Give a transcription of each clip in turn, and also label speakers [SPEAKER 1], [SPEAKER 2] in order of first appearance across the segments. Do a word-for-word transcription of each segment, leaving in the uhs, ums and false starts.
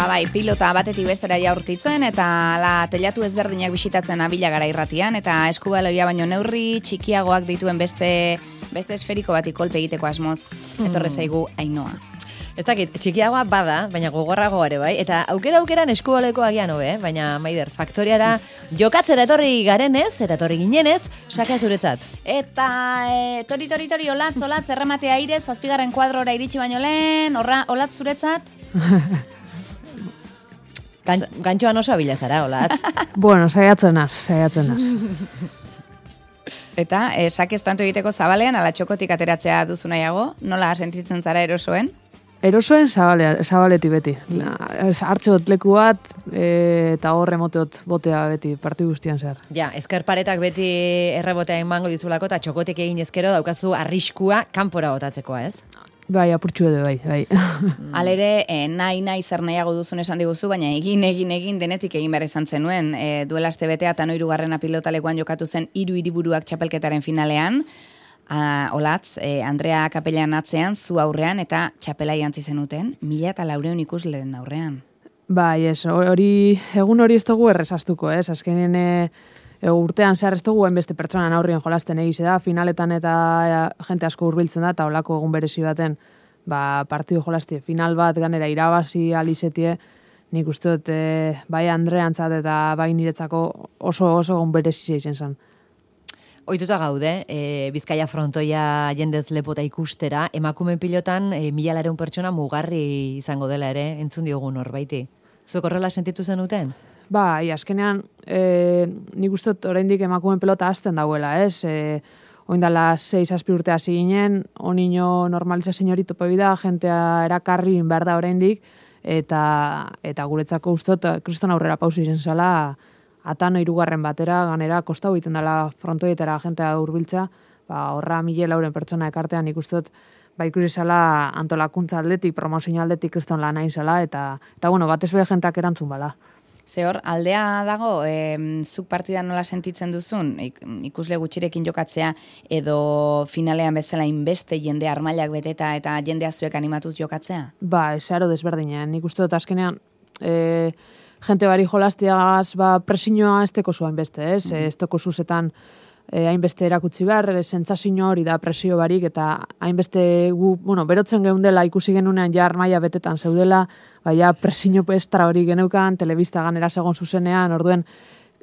[SPEAKER 1] bai, pilota batetik bestera jaurtitzen eta la telatu ezberdinak bisitatzen abila gara irratian eta eskubaloia baino neurri txikiagoak dituen beste beste esferiko bati kolpe egiteko asmoz etorre zaigu Ainhoa.
[SPEAKER 2] Ez dakit, txikiagoa bada, baina gogorrago ere bai, eta aukera aukeran eskubaleko agian hobe, eh? Baina Maider, faktoriara jokatzera etorri garenez, eta etorri ginenez, saka zuretzat.
[SPEAKER 1] Eta e, tori, tori, tori, olatz, olatz, erremate aire, zazpigarren kuadrora iritsi baino lehen, horra, olatz zuretzat?
[SPEAKER 2] Gan, Gantxoan oso abila zara, olatz.
[SPEAKER 3] Bueno, saiatzen az, saiatzen az.
[SPEAKER 1] Eta, e, sakez tanto egiteko zabalean, ala txokotik ateratzea duzu nahiago, nola sentitzen zara erosoen?
[SPEAKER 3] Erosoen zabalea, zabaleti beti. Hartxot leku bat e, eta horre moteot botea beti, partidu guztian zehar.
[SPEAKER 2] Ja, ezkerparetak beti errebotea emango dizulako eta txokotek egin ezkero daukazu arriskua kanpora botatzekoa, ez?
[SPEAKER 3] Bai, apurtxu edo, bai, bai.
[SPEAKER 1] Alere, e, nahi, nahi, zer nahiago duzun esan diguzu, baina egin, egin, egin denetik egin behar izan zenuen. E, duela aste betea eta noirugarrena pilotalekuan jokatu zen hiru hiriburuak txapelketaren finalean. Uh, olatz, eh, Andrea Kapelan atzean, zu aurrean, eta txapela jantzi zenuten, mila eta laureun ikusleren aurrean.
[SPEAKER 3] Bai, ez, hori, egun hori ez dugu errezastuko, ez, azkenen e, e, urtean zehar ez dugu hainbeste pertsonan aurrien jolasten egize da, finaletan eta e, jente asko hurbiltzen da, eta olako egun berezi baten, ba, partidu jolastie, final bat ganera irabazi alizetie, nik uste dut, e, bai Andreantzat eta bai niretzako oso oso egun berezi izan zen.
[SPEAKER 2] Ohituta gaude, e, Bizkaia frontoia jendez lepota ikustera, emakume pilotan e, mila lareun pertsona mugarri izango dela ere, entzun diogun norbaiti. Zuek horrela sentitu zenuten?
[SPEAKER 3] Ba, i, azkenean, e, nik uste dut oraindik emakume pelota hasten dauela, ez? E, oindala sei zazpi urte hasi ginen, onino normalizazio hori topo bida, jentea erakarri behar da oraindik, eta, eta guretzako uste dut, kriston aurrera pausu izan zela, atano hirugarren batera, ganera, kostau egiten dela frontoietara jentea hurbiltza, ba, horra mila lauren pertsona ekartean ikustot, ba, ikusi zela antolakuntza aldetik, promozio aldetik kriston lan nahi zela, eta, eta bueno, batez be jentak erantzun bala.
[SPEAKER 1] Ze hor, aldea dago, e, zuk partida nola sentitzen duzun, ikusle gutxirekin jokatzea, edo finalean bezala inbeste jende armailak beteta eta jendea zuek animatuz jokatzea?
[SPEAKER 3] Ba, zeharo desberdina, nik uste dut azkenean, e, jente bari jolastiagaz, ba, presiñoa ez teko zuen beste, ez? Mm -hmm. Ez teko zuzetan eh, hainbeste erakutsi behar, sentsazio hori da presio barik, eta hainbeste gu, bueno, berotzen geundela ikusi genunean ja armaia betetan zeudela, baina presiño estra hori geneukan, telebista ganera segon zuzenean, orduen,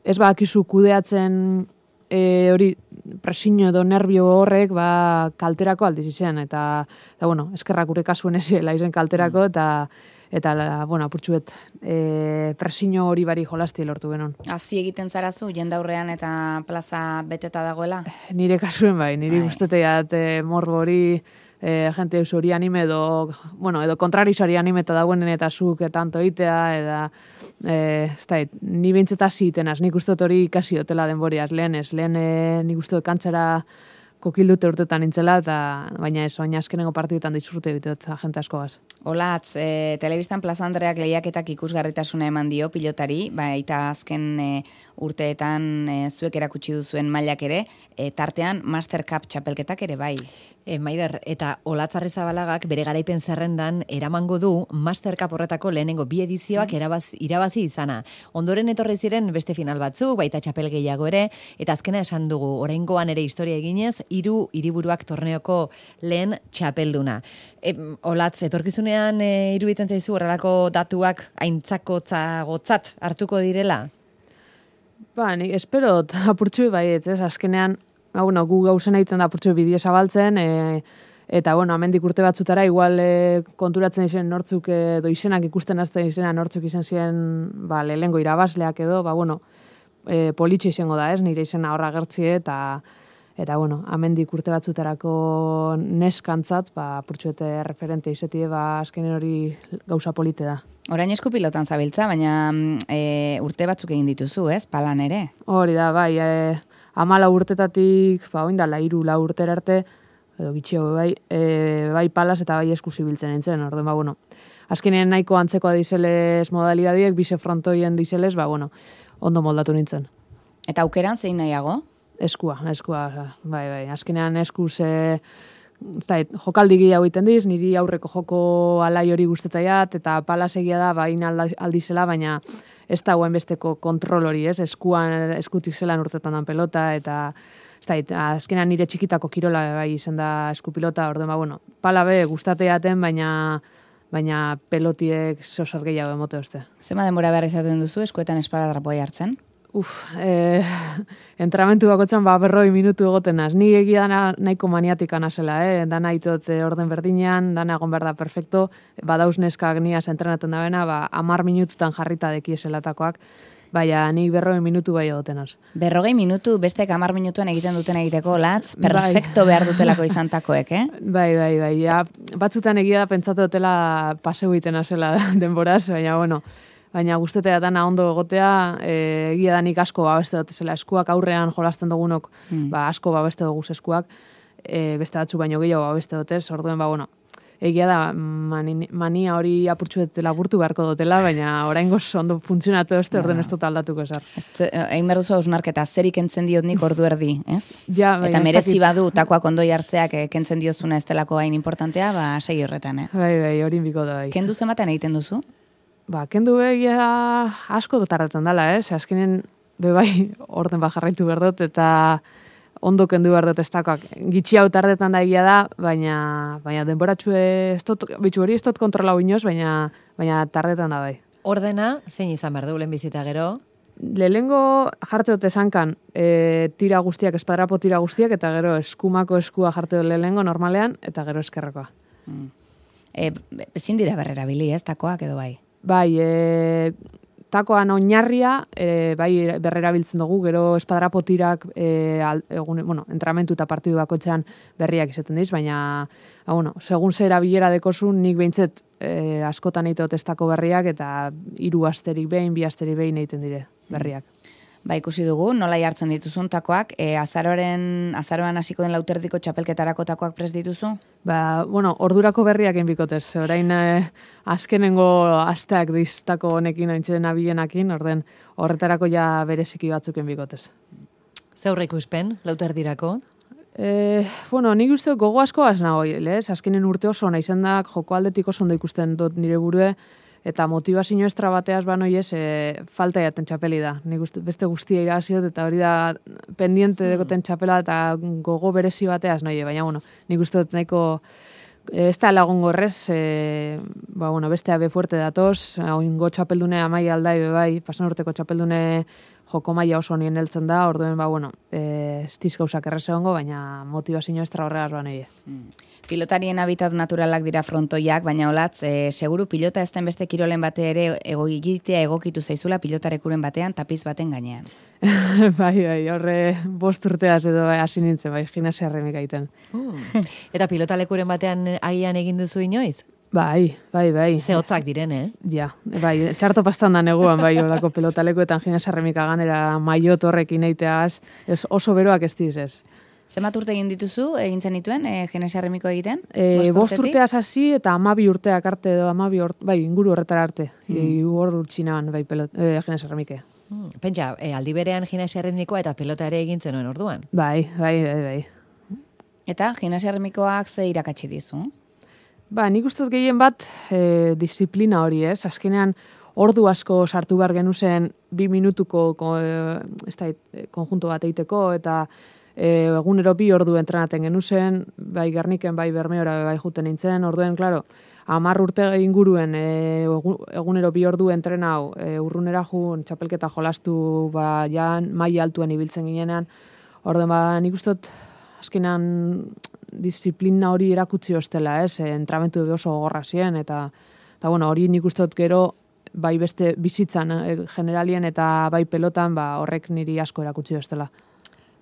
[SPEAKER 3] ez badakizu kudeatzen e, hori presiño edo nervio horrek, ba, kalterako aldiz izan, eta, eta bueno, eskerrak gure kasuen ezela izen kalterako, mm. eta eta, bueno, apurtxuet, e, presiño hori bari jolasti lortu genon.
[SPEAKER 1] Hazi egiten zarazu, jendaurrean eta plaza beteta dagoela?
[SPEAKER 3] Nire kasuen bai, nire guzteteat e, morbo hori, e, jente eus hori anime edo, bueno, edo kontrarizari anime eta dagoenen eta zuk tanto itea, eta, e, ez da, ni bintzeta zitenaz, nik uste hori ikasi hotela denboriaz, lehen ez, lehen e, nik uste kantzara kokildute urtetan nintzela, eta baina ez, baina azkenengo partiduetan disfrute ditot jente askoaz.
[SPEAKER 1] Olatz, e, telebistan Plaza Andreak lehiaketak ikusgarritasuna eman dio pilotari, baita azken e, urteetan e, zuek erakutsi duzuen mailak ere, e, tartean Master Cup txapelketak ere bai.
[SPEAKER 2] E, Maider, eta Olatz Arrizabalagak bere garaipen zerrendan eramango du Master Cup horretako lehenengo bi edizioak mm. erabaz, irabazi izana. Ondoren etorri ziren beste final batzuk, baita txapel gehiago ere, eta azkena esan dugu, oraingoan ere historia eginez, hiru hiriburuak torneoko lehen txapelduna. E, Olatz, etorkizunean e, iruditzen zaizu horrelako datuak aintzakotzagotzat hartuko direla?
[SPEAKER 3] Ba, nik espero apurtxu baiet, ez, azkenean, ba, bueno, gu gauzen egiten da apurtxu bideo zabaltzen, e, eta, bueno, amendik urte batzutara, igual e, konturatzen izen nortzuk edo izenak ikusten azten izena nortzuk izan ziren, ba, lehengo irabazleak edo, ba, bueno, e, politxe izango da, ez, nire izena horra gertzie, eta, eta, bueno, amendik urte batzutarako neskantzat, ba, apurtxuete referente izetie, ba, azkenen hori gauza polite da.
[SPEAKER 1] Orain esku pilotan zabiltza, baina e, urte batzuk egin dituzu, ez? Palan ere?
[SPEAKER 3] Hori da, bai, e, amala urtetatik, ba, oindala, iru la urtera arte, edo gitxio, bai, e, bai palas eta bai esku zibiltzen nintzen, orden, ba, bueno, azkenean nahiko antzekoa dizelez modalidadiek, bise frontoien dizelez, ba, bueno, ondo moldatu nintzen.
[SPEAKER 1] Eta aukeran zein nahiago?
[SPEAKER 3] Eskua, eskua, bai, bai, azkenean eskuz, e, ez da, jokaldi gehiago egiten diz, niri aurreko joko alai hori guztetaiat, eta palasegia da, baina aldizela, baina ez da guen besteko kontrol hori, ez? Eskuan, eskutik zelan urtetan dan pelota, eta ez da, azkenan nire txikitako kirola bai izan da eskupilota, orduan, ba, bueno, pala be gustateaten, baina baina pelotiek sosor gehiago emote uste.
[SPEAKER 1] Zema denbora behar izaten duzu, eskuetan esparadrapoa hartzen?
[SPEAKER 3] Uf, eh, entramentu bakotzan ba berroi minutu egotenaz. Ni egia dana nahiko maniatika nazela, eh? Dana itot eh, orden berdinean, dana egon behar da perfecto, badauz neskak niaz entrenatzen da bena, ba, amar minututan jarrita dekieselatakoak, baina nik berroi minutu bai egotenaz.
[SPEAKER 1] Berrogei minutu bestek amar minutuan egiten duten egiteko, latz, perfecto bai. Behar dutelako izantakoek, eh?
[SPEAKER 3] Bai, bai, bai, ja, batzutan egia da pentsatu dutela paseu egiten azela denboraz, baina, bueno, baina guztetea dana ondo egotea, e, egia da nik asko babeste dut zela eskuak aurrean jolasten dugunok, mm. ba, asko babeste dugu eskuak, e, beste batzu baino gehiago babeste dutez, orduen, ba, bueno, egia da mani, mania hori apurtxuet laburtu beharko dutela, baina oraingoz ondo funtzionatu ez, orden ez dut aldatuko esar.
[SPEAKER 1] Egin behar duzu hausnarketa, zer ikentzen diot nik ordu erdi, ez?
[SPEAKER 3] Ja, bai,
[SPEAKER 1] eta merezi badu takoak ondoi hartzeak kentzen diozuna ez delako hain importantea, ba, segi horretan, eh?
[SPEAKER 3] Bai, bai, hori biko da, bai.
[SPEAKER 1] Kendu zenbaten egiten duzu?
[SPEAKER 3] Ba, kendu begia asko dotarretan dela, eh? Azkenen, be bai, orden bat jarraitu behar dut, eta ondo kendu behar dut estakoak. Gitxi hau tardetan da egia da, baina, baina denboratxue, bitxu hori ez dut kontrolau inoz, baina, baina tardetan da bai.
[SPEAKER 2] Ordena, zein izan behar du, lehenbizita gero?
[SPEAKER 3] Lehengo jarte dut esankan, e, tira guztiak, espadrapo tira guztiak, eta gero eskumako eskua jarte dut lehengo normalean, eta gero eskerrekoa.
[SPEAKER 1] Mm. E, ezin dira berrera bili, ez, takoak edo bai?
[SPEAKER 3] Bai, e, takoan oinarria, e, bai berrera biltzen dugu, gero espadrapo tirak, e, al, egun, bueno, entramentu eta partidu bakoitzean berriak izaten diz, baina, ba, bueno, segun zera bilera dekozun, nik behintzet e, askotan eitot estako berriak, eta hiru asterik behin, bi asterik behin egiten dire berriak.
[SPEAKER 1] Ba, ikusi dugu, nola jartzen dituzun takoak, e, azaroren, azaroan hasiko den lauterdiko txapelketarako takoak prest dituzu?
[SPEAKER 3] Ba, bueno, ordurako berriak enbikotez. Orain eh, azkenengo asteak diztako honekin, haintzen abilenakin, orden horretarako ja bereziki batzuk enbikotez.
[SPEAKER 2] Zeurre ikuspen, lauterdirako?
[SPEAKER 3] Eh, bueno, nik uste gogo asko azna hoi, lez? Azkenen urte oso nahi zendak, joko aldetik oso ondo ikusten dut nire burue, eta motivazio estra bateaz banoiez, e, falta jaten txapeli da. Nik uste, beste guztia iraziot, eta hori da pendiente dekoten txapela, eta gogo berezi bateaz noie, baina, bueno, nik uste dut nahiko ez da lagungo horrez, e, ba, bueno, beste abe fuerte datoz, oingo txapeldune amai aldai bebai, pasan urteko txapeldune joko maila oso nien heltzen da, orduen, ba, bueno, e, ez diz gauzak errez egongo, baina motivazio estra horregaz ba noie.
[SPEAKER 1] Mm. Pilotarien habitat naturalak dira frontoiak, baina olatz, e, seguru pilota ez den beste kirolen bate ere egogitea egokitu zaizula pilotarekuren batean, tapiz baten gainean.
[SPEAKER 3] Bai, bai, horre bost urteaz edo bai, hasi nintzen, bai, gimnasia erremik aiten.
[SPEAKER 2] Hmm. Eta pilotalekuren batean agian egin duzu inoiz?
[SPEAKER 3] Bai, bai, bai.
[SPEAKER 2] Ze hotzak diren, eh?
[SPEAKER 3] Ja, bai, txarto pastan da neguan, bai, olako pilotalekuetan gimnasia erremika ganera maiot horrekin eiteaz, oso beroak ez diz ez.
[SPEAKER 1] Zenbat urte egin dituzu, egin zen dituen, e, gimnasia erremiko egiten?
[SPEAKER 3] E, bost urteaz hasi eta amabi urteak arte edo amabi urte, bai, inguru horretara arte. Mm. Hor urtsinaban, bai, e, gimnasia erremike.
[SPEAKER 2] Hmm. Pentsa, e, aldi berean gimnasia erritmikoa eta pelota ere egin zenuen orduan.
[SPEAKER 3] Bai, bai, bai, bai.
[SPEAKER 1] Eta gimnasia erritmikoak ze irakatsi dizu?
[SPEAKER 3] Ba, nik uste dut gehien bat e, disiplina hori, ez? Azkenean ordu asko sartu behar genuzen bi minutuko ko, e, ez da, konjunto bat eiteko, eta e, egunero bi ordu entrenaten genuzen, bai Gerniken, bai Bermeora, bai juten nintzen, orduen, klaro, hamar urte inguruen e, egunero bi ordu entrenau, e, urrunera jun, txapelketa jolastu, ba, jan, maila altuen ibiltzen ginenean, orduen, ba, nik uste dut, azkenean disiplina hori erakutsi ostela, ez? E, entramentu oso gogorra ziren, eta, eta bueno, hori nik uste dut gero, bai beste bizitzan e, generalien eta bai pelotan, ba, horrek niri asko erakutsi ostela.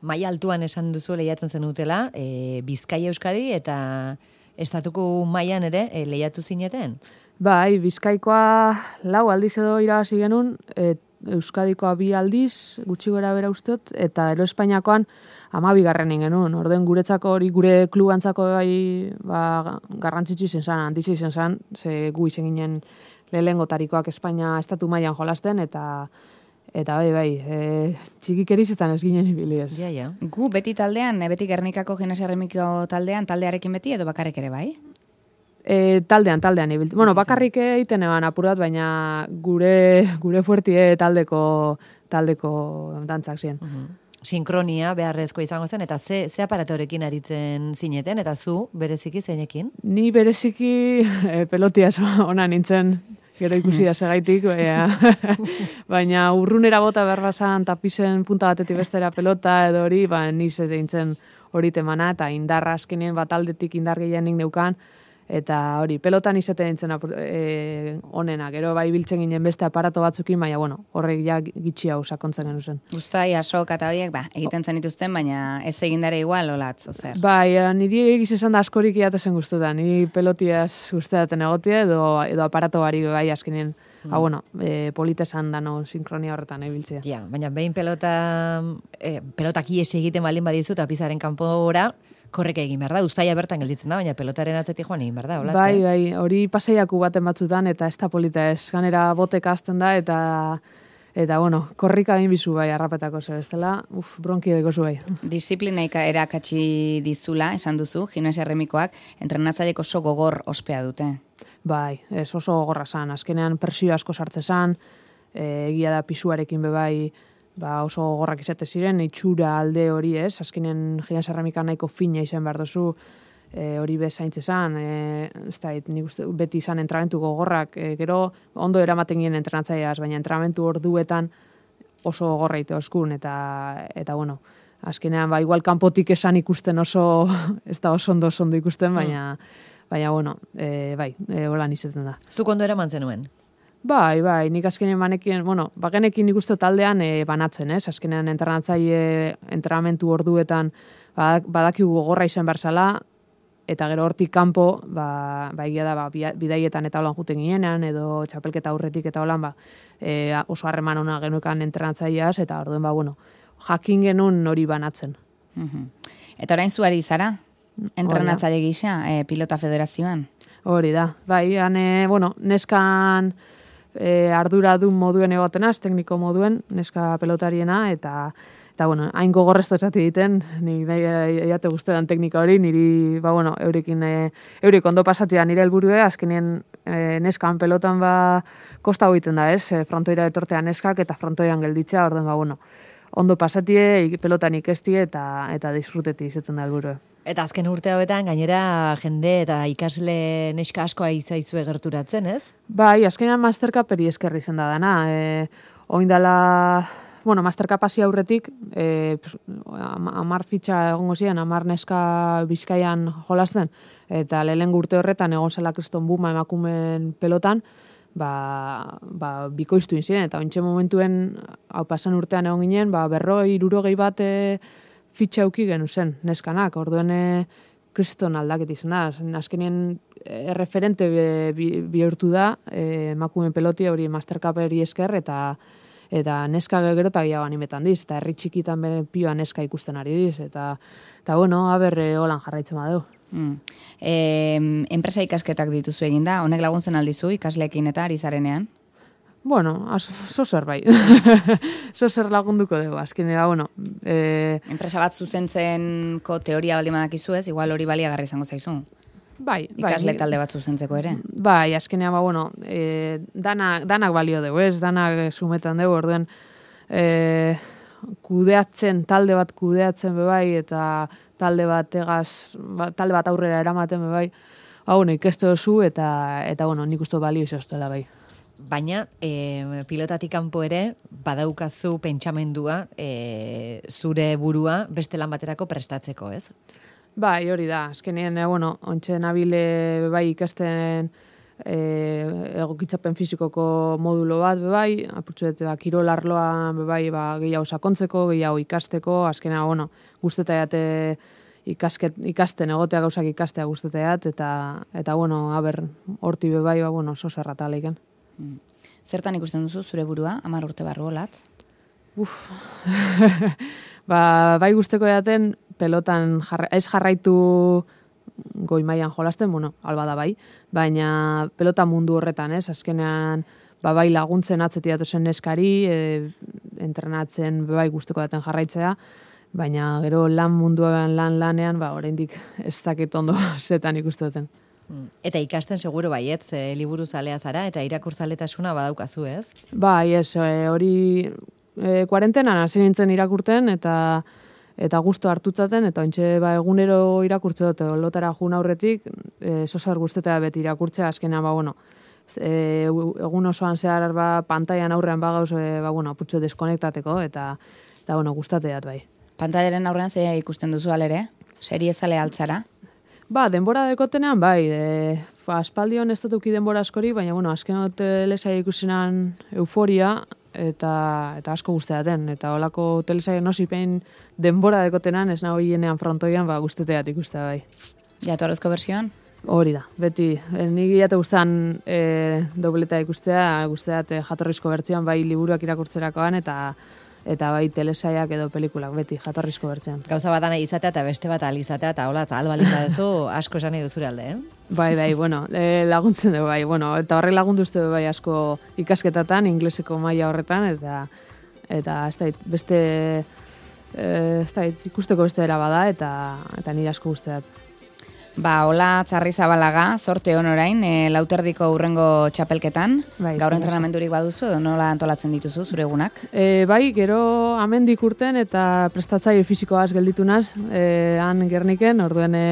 [SPEAKER 2] Maila altuan esan duzu lehiatzen zenutela, e, Bizkaia Euskadi eta estatuko mailan ere e, lehiatu zineten?
[SPEAKER 3] Bai, Bizkaikoa lau aldiz edo irabazi genuen, e, Euskadikoa bi aldiz, gutxi gora bera ustot, eta ero Espainiakoan hamabi garrenin genuen. Orden guretzako hori gure klubantzako bai, ba, garrantzitsu izen zan, handizi izen zan, ze gu izen ginen lehengo tarikoak Espainia estatu mailan jolasten, eta Eta bai, bai, e, txikikerizetan ez ginen ibili ez.
[SPEAKER 2] Ja, ja.
[SPEAKER 1] Gu beti taldean, beti Gernikako gimnasia erremiko taldean, taldearekin beti edo bakarrik ere bai?
[SPEAKER 3] E, taldean, taldean ibiltzen. Bueno, bakarrik egiten eban apurat, baina gure gure fuertie taldeko taldeko dantzak ziren.
[SPEAKER 2] Uh-huh. Sinkronia beharrezkoa izango zen, eta ze, ze aparatorekin aritzen zineten, eta zu bereziki zeinekin?
[SPEAKER 3] Ni bereziki e, pelotia ona nintzen, gero ikusi da segaitik, baina, baina urrunera bota behar basan tapisen punta batetik bestera pelota edo hori, ba, niz nintzen hori temana, eta indarra azkenien bat aldetik indar gehienik neukan, eta hori, pelotan izate nintzen e, onena, gero bai biltzen ginen beste aparato batzukin, baina bueno, horrek ja gitxi hau sakontzen genu zen.
[SPEAKER 1] Guztai, asok eta horiek, ba, egiten zen dituzten, baina ez egindare igual, olatz, ozer.
[SPEAKER 3] Bai, niri egiz esan da askorik iatezen guztuta, niri pelotiaz guzteaten egotia, edo, edo aparato bari bai azkenien, mm. ha, bueno, e, politesan dano sinkronia horretan ebiltzea.
[SPEAKER 2] Ja, baina behin pelota, e, pelotak ies egiten baldin badizu, eta pizaren kanpora, korreka egin behar da, uztaia bertan gelditzen da, baina pelotaren atzetik joan egin behar da, olatze?
[SPEAKER 3] Bai, bai, hori paseiaku baten batzutan, eta ez da polita ez, ganera boteka azten da, eta, eta bueno, korrika egin bizu bai, arrapetako zer, ez dela, uf, bronki edeko zu bai.
[SPEAKER 1] Disiplina erakatsi dizula, esan duzu, gimnasia erremikoak, entrenatzaileko oso gogor ospea dute.
[SPEAKER 3] Bai, ez oso gogorra zan, azkenean presio asko sartze zan, e, egia da pisuarekin bebai, ba oso gogorrak izate ziren, itxura alde hori ez, azkenen gimnasia erremika nahiko fina izan behar duzu, e, hori bezaintze zan, e, ez da, nik uste, beti izan entrenamentu gogorrak, e, gero ondo eramaten ginen entrenatzaileaz, baina entrenamentu orduetan oso gogorra ite oskun, eta, eta bueno, azkenean ba, igual kanpotik esan ikusten oso, ez da oso ondo oso ondo ikusten, baina, baina bueno, e, bai, e, holan izaten da.
[SPEAKER 2] Zuk ondo eraman zenuen?
[SPEAKER 3] Bai, bai, nik azkenean banekin, bueno, bagenekin nik uste taldean e, banatzen, ez? Azkenean entrenatzaile entrenamentu orduetan badak, badakigu gogorra izan berzala, eta gero hortik kanpo, ba, ba egia da, ba, bidaietan eta holan juten ginean, edo txapelketa aurretik eta holan, ba, e, oso harreman ona genuekan entrenatzaileaz, eta orduen, ba, bueno, jakin genuen hori banatzen.
[SPEAKER 1] Uh-huh. Eta orain zuari zara? Entrenatzaile gisa, e, pilota federazioan?
[SPEAKER 3] Hori da, bai, ane, bueno, neskan e, ardura dun moduen egotenaz, tekniko moduen, neska pelotariena, eta, eta bueno, hain gogorrezto esati egiten, nik nahi jate guztetan teknika hori, niri, ba, bueno, eurikin, e, eurik ondo pasatia nire helburue, azkenien e, neskan pelotan, ba, kosta egiten da, ez, e, frontoira etortea neskak, eta frontoian gelditzea, orden, ba, bueno, ondo pasatie, pelotan ikestie, eta, eta disfruteti izaten da helburue.
[SPEAKER 2] Eta azken urte hauetan, gainera jende eta ikasle neska askoa izaizue gerturatzen, ez?
[SPEAKER 3] Bai, azkenean mastercaperi eskerri zen da dana. E, oindala, bueno, mastercapasi aurretik, e, amar fitxa egongo ziren, amar neska Bizkaian jolasten, eta lehen urte horretan egon zela kriston buma emakumen pelotan, ba, ba, bikoiztu ziren, eta ointxe momentuen, hau pasan urtean egon ginen, ba, berroi, irurogei bat e, fitxa auki genu zen, neskanak, orduen kriston aldaket izan da. Azkenien erreferente bihurtu da, emakumen pelotia hori mastercaperi esker, eta eta neska gero eta gehiago animetan diz, eta herri txikitan bere pioa neska ikusten ari diz, eta, eta bueno, haber holan jarraitzen badu.
[SPEAKER 1] Mm. E, enpresa ikasketak dituzu egin da, honek laguntzen aldizu ikasleekin eta ari zarenean?
[SPEAKER 3] Bueno, zozer bai. Zozer lagunduko dugu, azkenera, bueno. E...
[SPEAKER 1] Enpresa bat zuzentzenko teoria baldin badakizu ez, igual hori baliagarri izango zaizu.
[SPEAKER 3] Bai, bai.
[SPEAKER 1] Ikasle talde bat zuzentzeko ere.
[SPEAKER 3] Bai, azkenea, ba, bueno, e, danak, danak balio dugu, ez? Danak sumetan dugu, orduen e, kudeatzen, talde bat kudeatzen bebai, eta talde bat egaz, ba, talde bat aurrera eramaten bebai, ba, bueno, ikestu duzu, eta, eta bueno, nik uste balio izostela bai.
[SPEAKER 2] Baina, e, pilotatik kanpo ere, badaukazu pentsamendua e, zure burua beste lan baterako prestatzeko, ez?
[SPEAKER 3] Bai, hori da. Azkenien, e, bueno, ontxe nabile bai ikasten e, egokitzapen fizikoko modulo bat, bai, apurtzuet, ba, kirolarloan, bai, ba, gehiago sakontzeko, gehiago ikasteko, azkenea, bueno, guztetaiate ikasket, ikasten, egotea gauzak ikastea guztetaiat, eta, eta, bueno, haber, horti bai, ba, bueno, oso zerrata leiken.
[SPEAKER 1] Zertan ikusten duzu zure burua, hamar urte barru olatz?
[SPEAKER 3] Uf, ba, bai guzteko edaten, pelotan jarra, ez jarraitu goi mailan jolasten, bueno, alba da bai, baina pelota mundu horretan, ez, azkenean ba, bai laguntzen atzetiatu zen neskari, e, entrenatzen bai guztuko daten jarraitzea, baina gero lan munduan lan lanean, ba, oraindik ez dakit ondo zetan ikustu duten.
[SPEAKER 2] Eta ikasten seguro baietz, e, liburu zalea zara, eta irakurtzaletasuna badaukazu, ez?
[SPEAKER 3] Bai, ez, e, hori e, kuarentenan hasi nintzen irakurten, eta eta gusto hartutzaten, eta ontxe ba, egunero irakurtze dut, lotara jun aurretik, e, sosar guztetea beti irakurtzea, azkenean, ba, bueno, e, egun osoan zehar ba, pantaian aurrean bagauz, e, ba, bueno, putxo deskonektateko, eta, eta bueno, gustateat bai.
[SPEAKER 1] Pantailaren aurrean ze ikusten duzu alere? Serie zale altzara?
[SPEAKER 3] Ba, denbora dekotenean, bai, de, fa, aspaldion ez dutuki denbora askori, baina, bueno, azken telesaia ikusenan euforia, eta eta asko guzteaten, eta holako telesaia nosipen denbora dekotenan, ez nago hienean frontoian, ba, guzteteat ikustea, bai.
[SPEAKER 1] Jatorrezko versioan?
[SPEAKER 3] Hori da, beti, nik jate guztan e, dobleta ikustea, guzteat e, jatorrizko bertsioan, bai liburuak irakurtzerakoan, eta eta bai telesaiak edo pelikulak, beti jatorrizko bertzean.
[SPEAKER 2] Gauza bat nahi izatea eta beste bat alizatea, eta hola, eta albalin badezu asko esan nahi duzure alde, eh?
[SPEAKER 3] Bai, bai, bueno, e, laguntzen dugu, bai, bueno, eta horre lagundu uste bai asko ikasketatan, ingleseko maila horretan, eta eta ez da, beste, e, ez da, ikusteko beste era bada, eta, eta nire asko guzteat.
[SPEAKER 1] Ba, hola Txarri Zabalaga, sorte hon orain, e, lauterdiko urrengo txapelketan,
[SPEAKER 3] bai,
[SPEAKER 1] gaur entrenamendurik baduzu, edo nola antolatzen dituzu, zure egunak?
[SPEAKER 3] E, bai, gero amendik urten eta prestatzaile fisikoaz gelditu naz, e, han Gerniken, orduen e,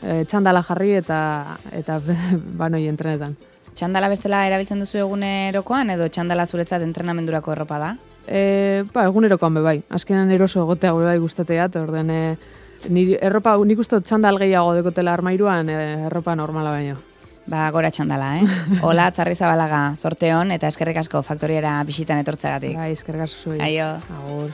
[SPEAKER 3] e, txandala jarri eta, eta banoi entrenetan.
[SPEAKER 1] Txandala bestela erabiltzen duzu egunerokoan, edo txandala zuretzat entrenamendurako erropa da?
[SPEAKER 3] E, ba, egunerokoan be bai, azkenan eroso egotea gure bai gustateat, orduen e, Ni erropa, nik uste txandal gehiago dekotela armairuan, erropa normala baino.
[SPEAKER 1] Ba, gora txandala, eh? Hola, Txarri Zabalaga, sorte hon, eta eskerrik asko faktoriera bisitan etortzeagatik.
[SPEAKER 3] Bai, eskerrik asko zuen.
[SPEAKER 1] Aio.
[SPEAKER 3] Agur.